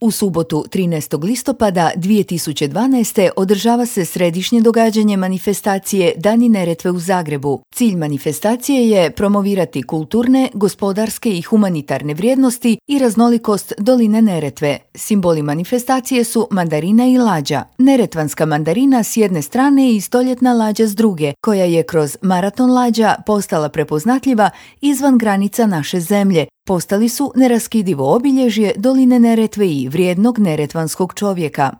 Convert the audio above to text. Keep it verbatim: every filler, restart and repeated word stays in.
U subotu trinaestog listopada dvije tisuće dvanaeste. održava se središnje događanje manifestacije Dani Neretve u Zagrebu. Cilj manifestacije je promovirati kulturne, gospodarske i humanitarne vrijednosti i raznolikost doline Neretve. Simboli manifestacije su mandarina i lađa. Neretvanska mandarina s jedne strane i stoljetna lađa s druge, koja je kroz maraton lađa postala prepoznatljiva izvan granica naše zemlje. Postali su neraskidivo obilježje doline Neretve i vrijednog neretvanskog čovjeka.